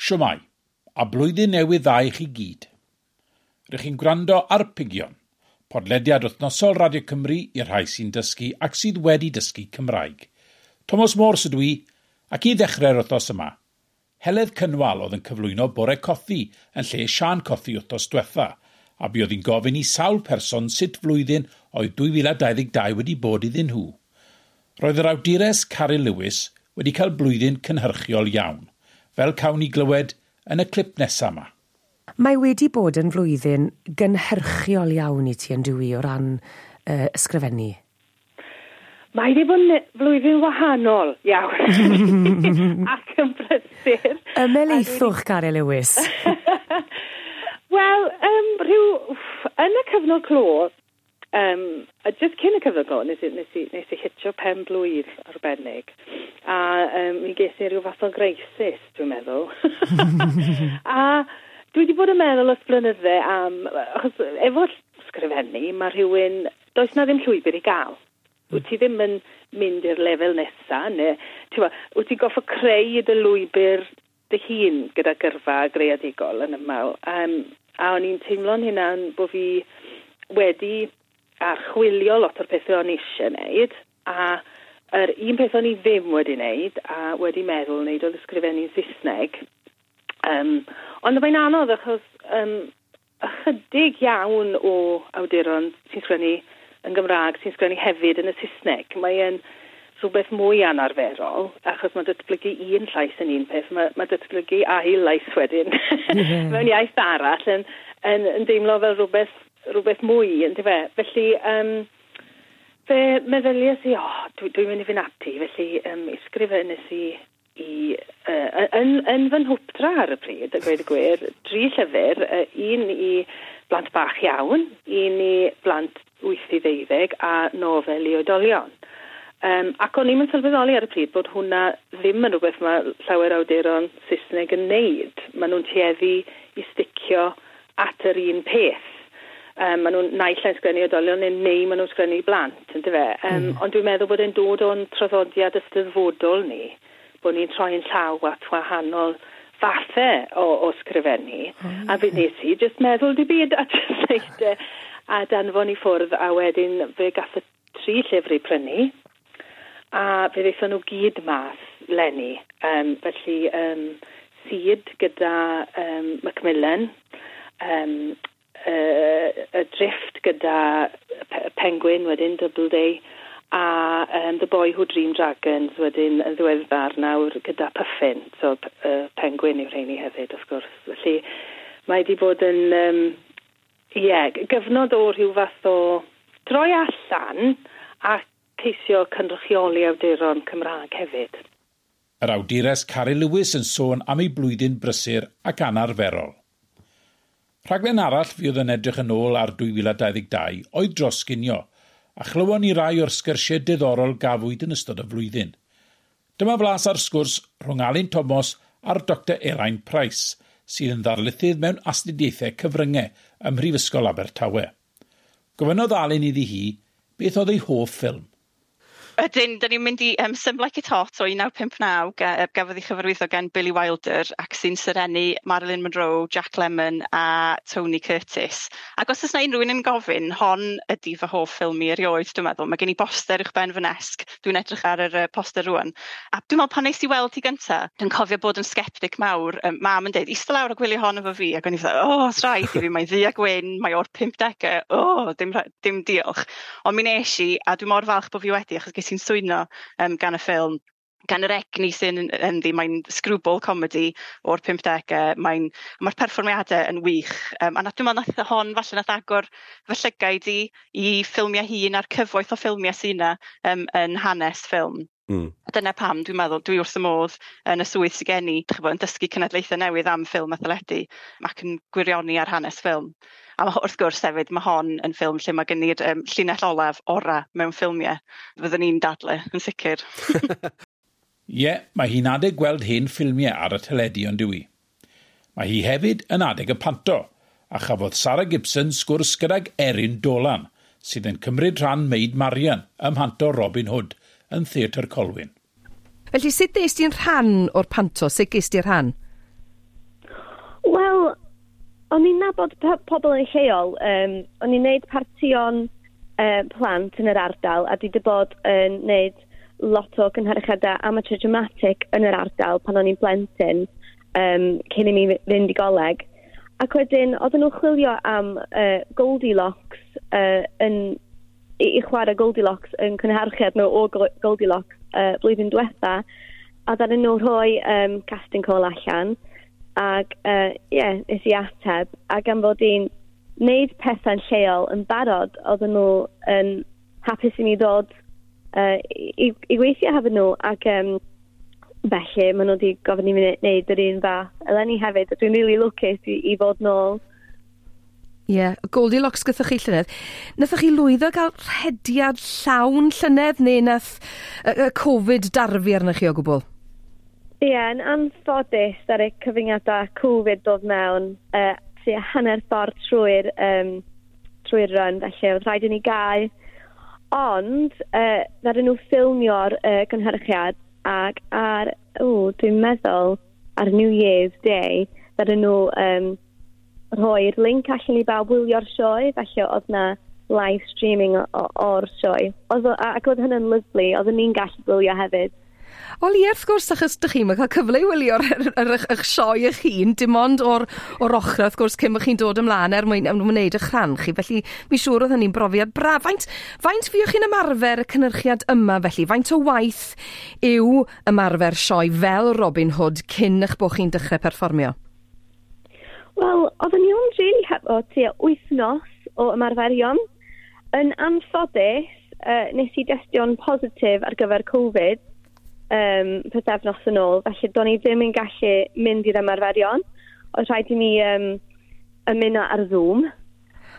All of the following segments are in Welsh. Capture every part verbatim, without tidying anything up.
Shwmae, a blwyddyn newydd dda i chi gyd. Rydych chi'n gwrando ar Pigion, podlediad wythnosol Radio Cymru i'r rhai sy'n dysgu ac sydd wedi dysgu Cymraeg. Thomas Morse ydw i, ac i ddechrau'r wythnos yma, Heledd Cynwal oedd yn cyflwyno Bore Cothi yn lle Siân Cothi wythnos diwetha, a buodd hi'n gofyn i sawl person sut flwyddyn oedd dwy fil a dau ddeg dau wedi bod iddyn nhw. Roedd yr awdures Caryl Lewis wedi cael blwyddyn cynhyrchiol iawn, fel cawn ni glywed yn y clip nesaf yma. Mae wedi bod yn flwyddyn gynhyrchiol iawn i ti yn dwi o ran uh, ysgrifennu. Mae wedi bod yn flwyddyn wahanol iawn ac yn brysur. Ymhelaethwch, Caryl Lewis. Wel, um, rhyw, yn y cyfnod clo, um, a just cyn y cyfnod clo, nes i, nes i, nes i hitio pen blwydd arbennig. A um, mi ges i rhyw fath o greisis, dwi'n meddwl. A dwi wedi bod yn meddwl ers blynydde am, achos efo sgrifennu, mae rhywun, does na ddim llwybr i gael. Wyt ti ddim yn mynd i'r lefel nesa, neu ti'n gwbod, wyt ti'n gorfod creu dy lwybr dy hun gyda gyrfa greadigol yn aml. Um, a o'n i'n teimlo'n hynna'n bod fi wedi archwilio lot o'r pethau o'n i eisiau wneud, a yr un peth o'n i ddim wedi wneud, a wedi meddwl wneud, oedd ysgrifennu'n Saesneg. Um, ond mae'n anodd achos um, ychydig iawn o awduron sy'n sgwennu yn Gymraeg sy'n sgwennu hefyd yn y Saesneg. Mae'n rhywbeth mwy anarferol, achos mae datblygu un llais yn un peth, mae, mae datblygu ail lais wedyn yeah. mewn iaith arall yn, yn, yn deimlo fel rhywbeth, rhywbeth mwy, yndyfe? Felly, um, fe meddyliais i, "O, oh, dwi'n dwi mynd i fynd ati," felly um, ysgrifennes i i, uh, yn, yn fy nhwpdra ar y pryd, a gweud y gwir, dri llyfr, uh, un i blant bach iawn, un i blant wyth i ddeuddeg a nofel i oedolion. Um, ac o'n i'n sylweddoli ar y pryd bod hwnna ddim yn rhywbeth mae llawer awduron Saesneg yn neud. Maen nhw'n tueddu i sticio at yr un peth. Um, maen nhw'n naill ai'n sgwennu oedolion neu, neu maen nhw'n sgwennu i blant, yndyfe? Um, mm. Ond dwi'n meddwl bod e'n dod o'n traddodiad ysteddfodol ni, bod ni'n troi'n llaw at wahanol fathau o, o sgrifennu. Oh, a fe nes i just meddwl dim byd a just neud e a danfon i ffwrdd, a wedyn fe gath y tri llyfr eu prynu a fe ddaethon nhw gyd mas leni. Um, felly um, Seed gyda um, Macmillan, um, uh, Adrift gyda Penguin wedyn, Doubleday, a um, The Boy Who Dreamed Dragons wedyn yn ddiweddar nawr gyda Puffin. So uh, Penguin yw'r rheini hefyd, wrth gwrs. Felly mae wedi bod yn um, yeah, gyfnod o rhyw fath o droi allan a ceisio cynrychioli awduron Cymraeg hefyd. Yr awdures Caryl Lewis yn sôn am ei blwyddyn brysur ac anarferol. Rhaglen arall fydd yn edrych yn ôl ar dwy fil a dau ddeg dau oedd Dros Ginio, a chlywon ni rai o'r sgyrsiau diddorol gafwyd yn ystod y flwyddyn. Dyma flas ar sgwrs rhwng Alun Thomas a'r Doctor Elain Price, sydd yn ddarlithydd mewn astudiaethau cyfryngau ym Mhrifysgol Abertawe. Gofynnodd Alun iddi hi beth oedd ei hoff ffilm. Ydyn, dyn ni'n mynd i um, Some Like It Hot o un naw pump naw, ga, gafodd ei chyfarwyddo gan Billy Wilder ac sy'n serennu Marilyn Monroe, Jack Lemmon a Tony Curtis. Ac os oes na unrhyw un yn gofyn, hon ydy fy hoff ffilm i erioed, dwi'n meddwl. Mae gen i boster uwch ben fy nesg. Dwi'n edrych ar yr uh, poster rwan. A dwi'n meddwl pan nes i weld hi gynta, dwi'n cofio bod yn sceptic mawr. Um, mam yn dweud, "Eistedd lawr a gwylio hon efo fi." Ac o'n i fel, "O, oh, rhaid i fi, mae'n ddu a gwyn, mae o'r pump degau, o, oh, dim, dim diolch." Ond mi nes i, a dwi'n mor falch bod fi wedi, achos ges i'n swyno um, gan y ffilm, gan yr egni sy'n ynddi. Mae'n screwball comedy o'r pump degau, mae'n, mae'r perfformiadau yn wych. Um, a nath, dwi'n meddwl nath hon falle nath agor fy llygaid i i ffilmiau hŷn a'r cyfoeth o ffilmiau sy'n yna um, yn hanes ffilm. Mm. A dyna pam dwi'n meddwl dwi wrth y modd yn y swydd sydd gen i, ch'bo, yn dysgu cenedlaethau newydd am ffilm a theledu ac yn gwirioni ar hanes ffilm. A ma' wrth gwrs hefyd, mae hon yn ffilm lle mae gen i'r um, llinell olaf ora mewn ffilmiau. Fyddwn ni'n dadle, yn sicr. Ie, yeah, mae hi'n adeg gweld hen ffilmiau ar y teledu, ond dyw hi? Mae hi hefyd yn adeg y panto, a chafodd Sarah Gibson sgwrs gydag Erin Dolan, sydd yn cymryd rhan Maid Marian ym mhanto Robin Hood yn Theatr Colwyn. Felly, sut des di'n rhan o'r panto? Sut ges di'r rhan? O'n i'n nabod pobl yn lleol. Um, o'n i'n neud partion uh, plant yn yr ardal a dwi wedi bod yn neud lot o gynhyrchiadau amateur dramatic yn yr ardal pan o'n i'n blentyn um, cyn i mi fynd i goleg. Ac wedyn, oedden nhw'n chwilio am uh, Goldilocks uh, yn, i, i chwarae Goldilocks yn cynhyrchiad nhw o Goldilocks uh, blwyddyn diwetha. A ddaru nhw rhoi um, casting call allan. Ac, ie, uh, yeah, nes i ateb. A gan fod i'n wneud pethau'n lleol yn barod, oedden nhw yn hapus i mi ddod uh, i, i weithio hefo nhw. Ac um, felly, maen nhw wedi gofyn i mi wneud yr un fath eleni hefyd. Dwi'n really lwcus i, i fod nôl. Ie, yeah, Goldilocks gyda chi llynedd. Nathoch chi lwyddo gael rhediad llawn llynedd neu nath y, y Covid darfu arnoch chi o gwbl? Ie, yeah, yn anffodus ar y cyfyngiadau Covid dod mewn uh, tua hanner ffordd trwy'r um, trwy run, felly oedd rhaid i ni gau. Ond, uh, ddaru nhw ffilmio'r uh, gynhyrchiad ac ar, o, dwi'n meddwl, ar New Year's Day, ddaru nhw um, rhoi'r link allan i bawb wylio'r sioe, felly oedd na live streaming o'r sioe. Oedd, ac oedd hynny'n lyfli, oedden ni'n gallu gwylio hefyd. Wel ie, wrth gwrs, achos dych chi'n cael cyfle i wylio'r er, eich sioe eich hun, dim ond o'r, o'r ochr, wrth gwrs, cyn bod chi'n dod ymlaen er mwyn, er mwyn wneud eich rhan chi. Felly, mi siŵr oedd hynny'n brofiad braf. Faint, faint fuoch chi'n ymarfer y cynhyrchiad yma, felly? Faint o waith yw ymarfer sioe fel Robin Hood cyn eich bod chi'n dechrau perfformio? Wel, oedden ni ond really hefo tua wythnos o ymarferion. Yn anffodus, uh, nes i destio'n positif ar gyfer Covid um, pythefnos yn ôl, felly do'n i ddim yn gallu mynd i'r ymarferion. Oedd rhaid i mi um, ymuno ar Zoom.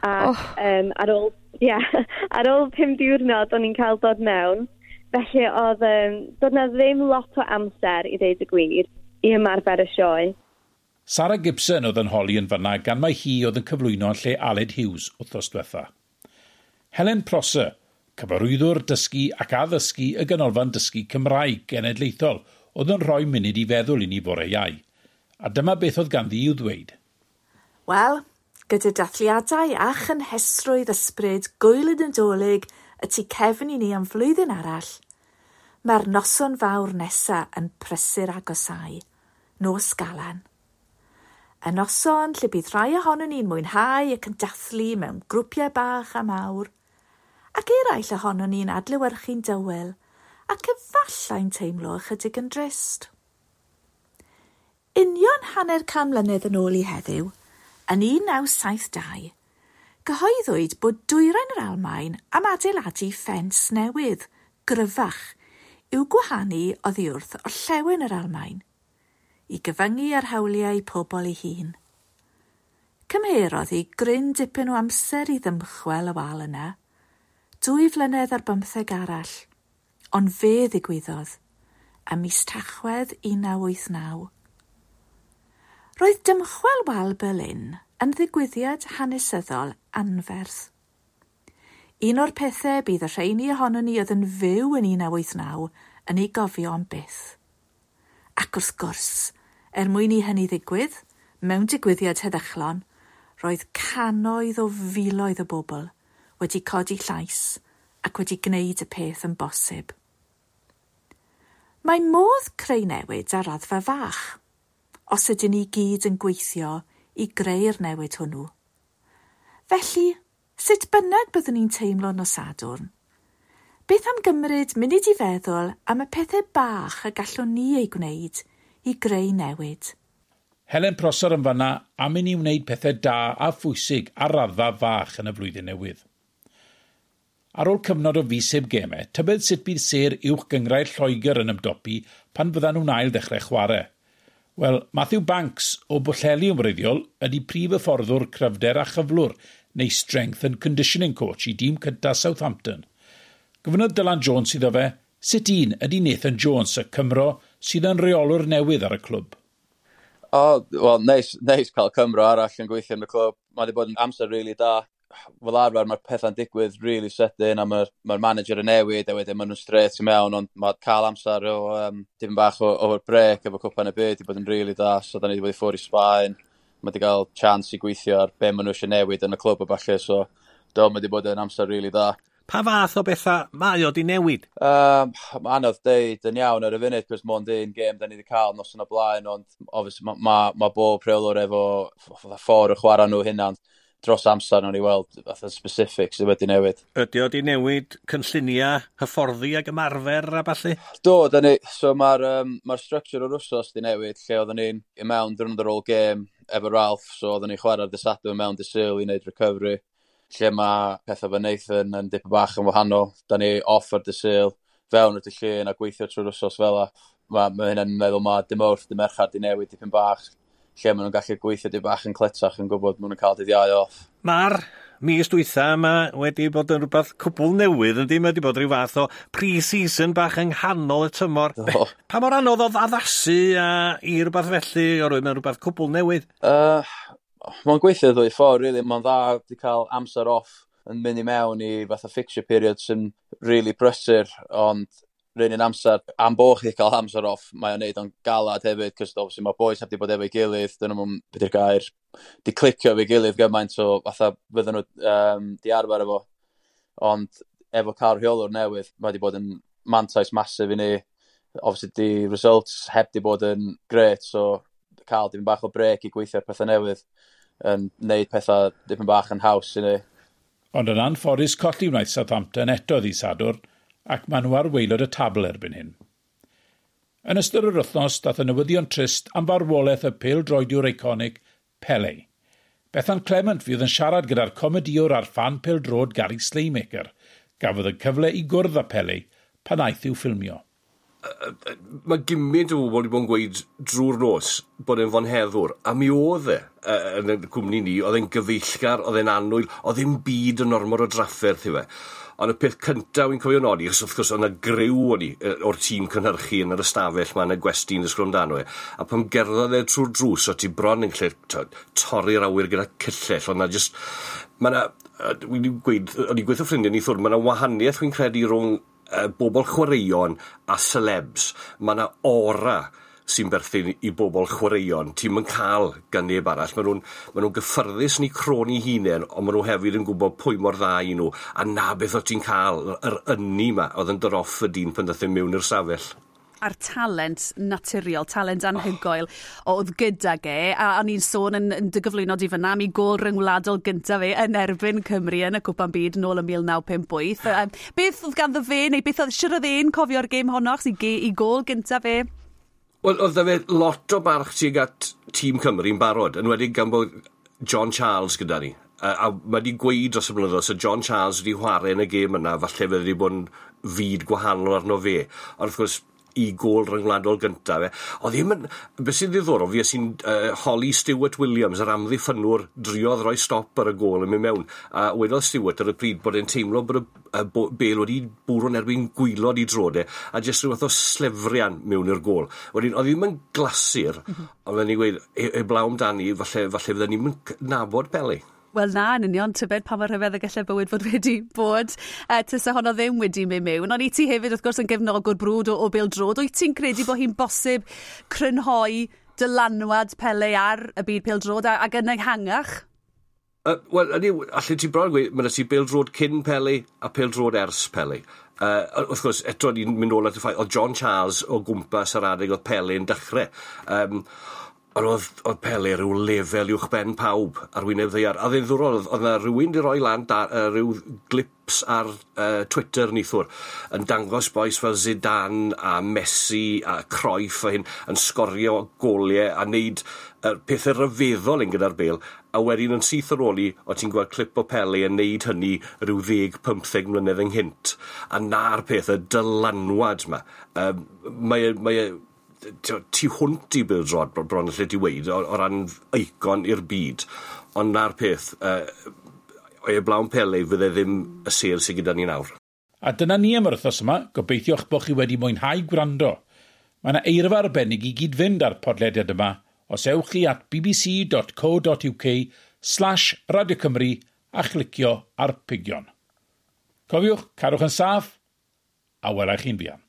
Ac oh. um, ar ôl, yeah, ar ôl pum diwrnod o'n i'n cael dod mewn. Felly oedd, um, doedd na ddim lot o amser i ddeud y gwir i ymarfer y sioe. Sara Gibson oedd yn holi yn fanna gan mai hi oedd yn cyflwyno yn lle Aled Hughes wythnos diwetha. Helen Prosser, cyfarwyddwr dysgu ac addysgu y Ganolfan Dysgu Cymraeg Genedlaethol, oedd yn rhoi munud i feddwl i ni fore Iau. A dyma beth oedd ganddi i'w ddweud. Wel, gyda dathliadau a chynhesrwydd ysbryd gwyl y Nadolig y tu cefn i ni am flwyddyn arall, mae'r noson fawr nesa yn prysur agosau, nos Galan. Y noson lle bydd rhai ohonon ni'n mwynhau ac yn dathlu mewn grwpiau bach a mawr, ac eraill ohonon ni'n adlewyrchu'n dywel ac efallai'n teimlo ychydig yn drist. Union hanner can mlynedd yn ôl i heddiw, yn un naw saith dau, gyhoeddwyd bod dwyrain yr Almaen am adeiladu ffens newydd, gryfach, i'w gwahanu oddi wrth orllewin yr Almaen, i gyfyngu ar hawliau pobl ei hun. Cymherodd hi gryn dipyn o amser i ddymchwel y wal yna, dwy flynedd ar bymtheg arall, ond fe ddigwyddodd, ym mis Tachwedd un naw wyth naw. Roedd dymchwel wal Berlin yn ddigwyddiad hanesyddol anferth. Un o'r pethau bydd y rheini ohonon ni oedd yn fyw yn un naw wyth naw yn ei gofio am byth. Ac wrth gwrs, er mwyn i hynny ddigwydd, mewn digwyddiad heddychlon, roedd cannoedd o filoedd o bobl wedi codi llais ac wedi gwneud y peth yn bosib. Mae modd creu newid ar raddfa fach, os ydyn ni gyd yn gweithio i greu'r newid hwnnw. Felly, sut bynnag byddwn ni'n teimlo nos Sadwrn? Beth am gymryd munud i feddwl am y pethau bach y gallwn ni ei gwneud i greu newid? Helen Prosser yn fanna am i ni wneud pethau da a phwysig ar raddfa fach yn y flwyddyn newydd. Ar ôl cyfnod o fis heb gemau, tybed sut bydd sêr uwch gynghrair Lloegr yn ymdopi pan fyddan nhw'n ail ddechrau chwarae. Wel, Matthew Banks o Bwllheli yn wreiddiol ydy prif hyfforddwr cryfder a chyflwr neu strength and conditioning coach i dîm cyntaf Southampton. Gofynnodd Dylan Jones iddo fe, sut un ydy Nathan Jones, y Cymro sydd yn reolwr newydd ar y clwb? O, oh, wel, neis, neis cael Cymro arall yn gweithio yn y clwb. Mae wedi bod yn amser really da. Fel arfer mae'r pethau'n digwydd really sydyn a mae'r mae manager yn newid a wedyn maen nhw'n straight i mewn, ond mae cael amser o um, dipyn bach o'r break efo Cwpan y Byd wedi bod yn really da, so da ni wedi bod i ffwrdd i Sbaen. Mae wedi cael chance i gweithio ar be maen nhw eisiau newid yn y clwb a falle, so do, mae wedi bod yn amser really dda. Pa fath o bethau mae o di newid? Um, mae anodd deud yn iawn ar y funud, cos mond un gêm da ni wedi cael nos yn y blaen, ond obviously mae ma, ma bob rheolwr efo ffordd o chwarae nhw hynna'n dros amser nawn ni weld fatha specifics sydd wedi newid. Ydy o di newid cynlluniau, hyfforddi ac ymarfer a ballu? Do, da ni, so mae'r um, ma structure o'r wsos di newid, lle oedden ni'n i mewn diwrnod ar ôl gêm efo Ralph, so oedden ni'n chwarae'r dydd Sadwrn mewn dydd Sul i wneud recovery, lle mae pethau fy Nathan yn dipyn bach yn wahanol. Da ni off ar dydd Sul, fewn ar dydd Llun a gweithio trwy'r wsos fel 'a. Mae ma hynna'n meddwl mae dim Mawrth, dim Mercher di newid dipyn bach, lle maen nhw'n gallu gweithio dipyn bach yn cletach yn gwybod maen nhw'n cael dydd Iau off. Mae'r mis dwytha yma wedi bod yn rhywbeth cwbl newydd, yndi? Mae wedi bod rhyw fath o pre-season bach yng nghanol y tymor. Do. Pa mor anodd oedd addasu a, i rhywbeth felly, oherwydd mae'n rhywbeth cwbl newydd? Uh, Mae'n gweithio ddwy ffordd, really. Mae'n dda wedi cael amser off yn mynd i mewn i fatha fixture period sy'n really brysur, ond rhywun un amser, am bo chi cael amser off, mae o'n neud o'n galad hefyd, cos obviously mae boys heb di bod efo'i gilydd, dyn nhw'n, beth yw'r gair, di clicio efo'i gilydd gymaint o fatha fydden nhw um, di arfer efo. Ond efo cael rheolwr newydd, mae wedi bod yn mantais massive i ni. Obviously, di results heb di bod yn great, so cael dipyn bach o break i gweithio ar pethau newydd yn neud pethau dipyn bach yn haws i ni. Ond yn anffodus colli wnaeth Southampton eto ddydd Sadwrn, ac maen nhw ar waelod y tabl erbyn hyn. Yn ystod yr wythnos, dath y newyddion trist am farwolaeth y pêl-droediwr eiconig Pele. Bethan Clement fydd yn siarad gyda'r comediwr a'r ffan pêl-droed Gary Slaymaker, gafodd y cyfle i gwrdd â Pele pan aeth i'w ffilmio. Mae gymaint o bobl wedi bod yn gweud drwy'r nos bod e'n fonheddwr, a mi oedd e yn y cwmni ni, oedd e'n gyfeillgar, oedd e'n annwyl, oedd e'n byd yn ormod o drafferth i fe. Ond y peth cyntaf wy'n cofio nodi, achos wrth gwrs oedd yna griw o'n i o'r tîm cynhyrchu yn yr ystafell ma yn y gwesti yn ysgol amdano e, a pan gerddodd e trwy'r drws, o ti bron yn gallu torri'r awyr gyda cyllell, ond na just, mae yna, wy'n gweud, o'n i'n gweithio ffrindiau neithiwr, mae yna wahaniaeth wy'n credu rhwng uh, bobl chwaraeon a celebs. Mae yna aura sy'n berthyn i bobl chwaraeon. Ti'n yn cael gan neb arall. Maen nhw'n ma nhw gyffyrddus yn eu croen eu hunain, ond maen nhw hefyd yn gwybod pwy mor dda i nhw. A na beth o ti'n cael, yr ynni ma, oedd yn dod off y dyn pan ddaeth e mewn i'r safell. A'r talent naturiol, talent anhygoel oh. oedd gydag e, a o'n i'n sôn yn, yn dy gyflwyno di fyna am ei gol ryngwladol gyntaf fe yn erbyn Cymru yn y Cwpan Byd nôl ym mil naw pump wyth. Beth oedd ganddo fe, neu beth oedd, siwr oedd e'n cofio'r gêm honno, achos i, ge, i gol gyntaf fe? Wel, oedd fe lot o barch tuag at tîm Cymru'n barod, yn wedi gan bod John Charles gyda ni. A, a mae wedi gweud dros y blynyddoedd, so John Charles wedi chwarae yn y gêm yna, falle fe wedi bod yn fyd gwahanol arno fe. Ond wrth gwrs, i gol ryngwladol gyntaf fe. Oedd ddim yn... Beth sy'n ddiddorol, fi sy'n uh, holi Stuart Williams, yr amddiffynwr, driodd roi stop ar y gol yn mynd mewn. A wedodd Stuart ar y pryd bod e'n teimlo bod y, y bel wedi bwrw'n erbyn gwaelod i droed e, a jyst rhyw fath o slefrian mewn i'r gol. Wedyn, oedd ddim yn glasur, mm -hmm. ond fe'n i gweud, heblaw amdani, falle, falle fydden ni'n nabod Pele. Wel na, yn union, tybed pa mor rhyfedd y gallai bywyd fod wedi bod. Uh, tysa honno ddim wedi mynd mewn. Ond i ti hefyd, wrth gwrs, yn gefnogwr brwd o, o bêl-droed. Wyt ti'n credu bod hi'n bosib crynhoi dylanwad Pele ar y byd pêl-droed ac yn ehangach? Uh, Wel, ydy, allu ti bron gweud, mae ti bêl-droed cyn Pele a pêl-droed ers Pele. Uh, wrth gwrs, eto ni'n mynd nôl at y ffaith, oedd John Charles o gwmpas yr adeg oedd Pele yn dechrau. Um, Ond oedd, oedd Pele rhyw lefel uwch ben pawb ar wyneb ddaear. A ddiddorol, oedd, oedd yna rhywun di roi lan da, uh, rhyw glips ar uh, Twitter neithiwr yn dangos bois fel Zidane a Messi a Cruyff a hyn yn sgorio goliau a wneud uh, pethau rhyfeddol yn gyda'r bel, a wedyn yn syth ar ôl i, o ti'n gweld clip o Pele yn neud hynny rhyw ddeg, pymtheg mlynedd ynghynt. A na'r peth, y dylanwad yma. Um, mae, mae tu hwnt i bêl-droed bron lle ti weud, o, o ran eicon i'r byd. Ond na'r peth, uh, heblaw Pele fydde ddim y sêr sydd gyda ni nawr. A dyna ni am yr wythnos yma, gobeithio'ch bod chi wedi mwynhau gwrando. Mae yna eirfa arbennig i gyd fynd ar podlediad yma os ewch chi at b b c dot co dot U K slash Radio Cymru a chlicio ar Pigion. Cofiwch, cadwch yn saff, a welai chi'n fuan.